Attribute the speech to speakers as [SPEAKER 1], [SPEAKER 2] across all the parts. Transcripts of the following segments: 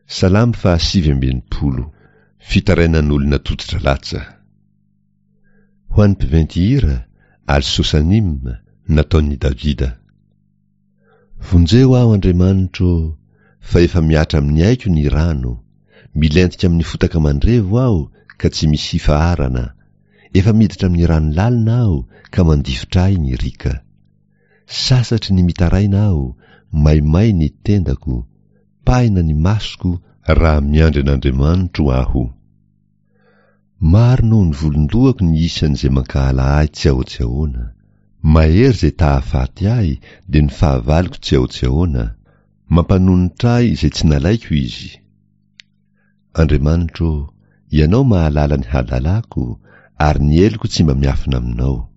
[SPEAKER 1] Salamo faha 69. Fitarainan'olona tototra latsa. Ho an'ny mpiventy hira, Al-Sosanim, nataon'i Davida. Vonjeo aho, Andriamanitro ô, fa efa mihatra amin'ny aiko ny rano, milentika amin'ny fotaka mandrevo aho ka tsy misy hifaharana, efa miditra amin'ny rano lalina aho ka mandifotra ahy ny riaka. Sasatry ny mitaraina aho, maimay ny tendako, pahina ny masoko raha miandry an'Andriamanitro aho. Maro noho ny volon-dohako ny isan'izay mankahala ahy tsy ahoa-tsy ahoana. Mahery izay ta-hahafaty ahy dia ny fahavaloko tsy ahoa-tsy ahoana, mampanonitra ahy izay tsy nalaiko izy. Andriamanitro ô, Ianao mahalala ny hadalako, ary ny heloko tsy mba miafina aminao.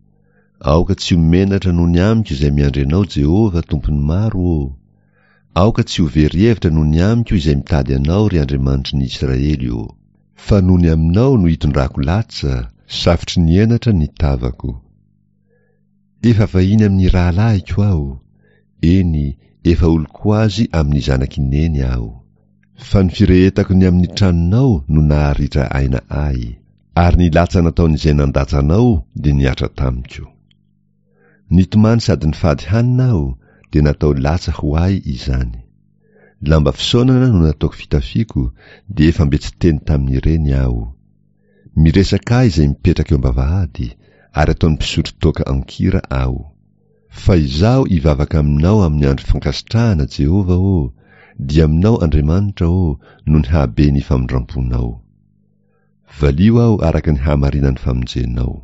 [SPEAKER 1] Aoka tsy ho menatra noho ny amiko izay miandry Anao, Jehovah, Tompon'ny maro ô! Aoka tsy ho very hevitra noho ny amiko izay mitady Anao, ry Andriamanitry ny Israely ô! Fa noho ny aminao no itondrako latsa, safotry ny henatra ny tavako. Efa vahiny amin'ny rahalahiko aho, eny, efa olon-ko azy amin'ny zanak'i Neny aho. Fa ny firehetako ny amin'ny tranonao no naharitra aina ahy, ary ny latsa nataon'izay nandatsa anao dia nihatra tamiko. Nitomany sady nifady hanina aho, dia natao latsa ho ahy izany. Lamba fisaonana no nataoko fitafiako, dia efa mbe tsy teny tamin'ireny aho. Miresaka ahy izay mipetraka eo am-bavahady, ary ataony mpisotro toaka an-kira aho. Fa izaho hivavaka aminao amin'ny andro fankasitrahana, Jehovah ô, dia aminao, Andriamanitra ô, noho ny hahabe ny famindram-ponao. Valio aho araka ny hahamarinan'ny famonjenao.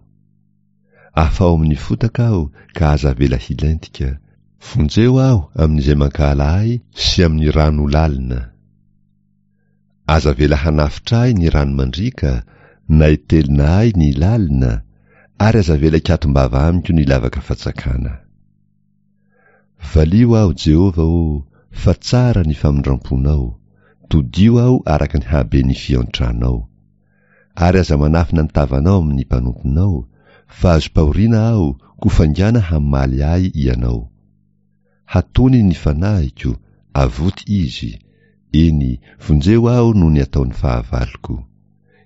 [SPEAKER 1] Afaho amin'ny fotaka aho ka aza avela hilentika. Vonjeo aho amin'izay mankahala ahy sy amin'ny rano lalina. Aza avela hanafotra ahy ny rano mandriaka, na hitelina ahy ny lalina, ary aza avela hikatom-bava amiko ny lavaka fatsakana. Valio aho, Jehovah ô, fa tsara ny famindram-ponao, todio aho araka ny haben'ny fiantranao. Ary aza manafina ny tavanao amin'ny mpanomponao, fa azom-pahoriana aho, koa faingàna hamaly ahy Ianao. Hatony ny fanahiko, avoty izy, eny, vonjeo aho noho ny ataon'ny fahavaloko.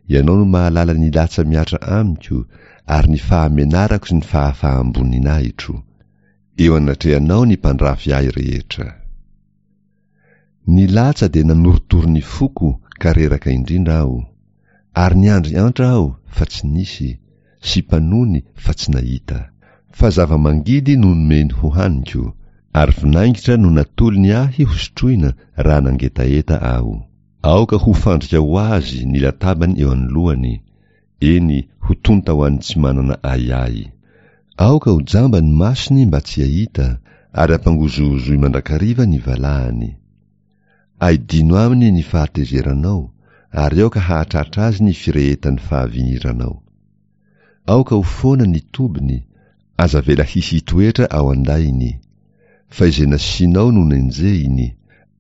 [SPEAKER 1] Ianao no mahalala ny latsa mihatra amiko, ary ny fahamenarako sy ny fahafaham-boninahitro. Eo anatrehanao ny mpandrafy ahy rehetra. Ny latsa dia nanorotoro ny foko ka reraka indrindra aho, ary niandry antra aho fa tsy nisy, sy mpanony fa tsy nahita. Fa zava-mangidy no nomeny hohaniko, ary vinaingitra no natolony ahy hosotroina raha nangetaheta aho. Aoka ho fandrika ho azy ny latabany eo anoloany, eny, ho tonta ho an'ny tsy manana ahiahy. Aoka ho jamba ny masony mba tsy hahita, ary ampangozohozoy mandrakariva ny valahany. Aidino aminy ny fahatezeranao, ary aoka hahatratra azy ny firehetan'ny fahaviniranao. Aoka ho foana ny tobiny, aza avela hisy hitoetra ao an-dainy. Fa izay nasianao no nenjehiny,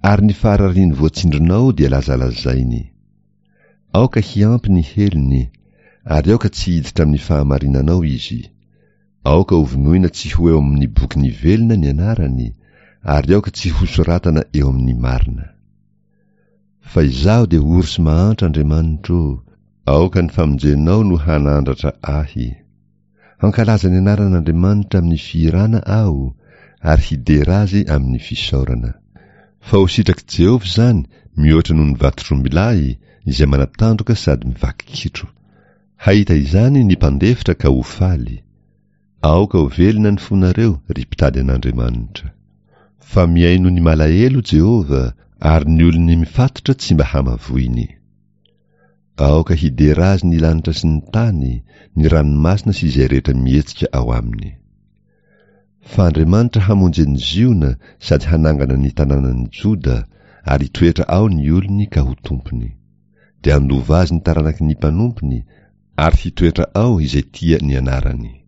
[SPEAKER 1] ary ny faharariany voatsindrinao dia lazalazainy. Aoka hiampy ny helony, ary aoka tsy hiditra amin'ny fahamarinanao izy. Aoka hovonoina tsy ho eo amin'ny bokin'ny velona ny anarany, ary aoka tsy hosoratana eo amin'ny marina. Fa izaho dia ory sy mahantra, Andriamanitro ô, aoka ny famonjenao no hanandratra ahy. Hankalaza ny anaran'Andriamanitra amin'ny fihirana aho, ary hidera azy amin'ny fisaorana. Fa ho sitrak'i Jehovah izany mihoatra noho ny vatotr'ombilahy izay manatandroka sady mivaky kitro. Hahita izany ny mpandefitra ka ho faly. Aoka ho velona ny fonareo, ry mpitady an'Andriamanitra. Fa mihaino ny malahelo Jehovah, ary ny olony mifatotra tsy mba hamavoiny. Aoka hidera azy ny lanitra sy ny tany, ny ranomasina sy izay rehetra mihetsika ao aminy. Fa Andriamanitra hamonjy an'i Ziona sady hanangana ny tanànan'i Joda, ary hitoetra ao ny olony ka ho tompony. Dia handova azy ny taranaky ny mpanompony, ary hitoetra ao izay tia ny anarany.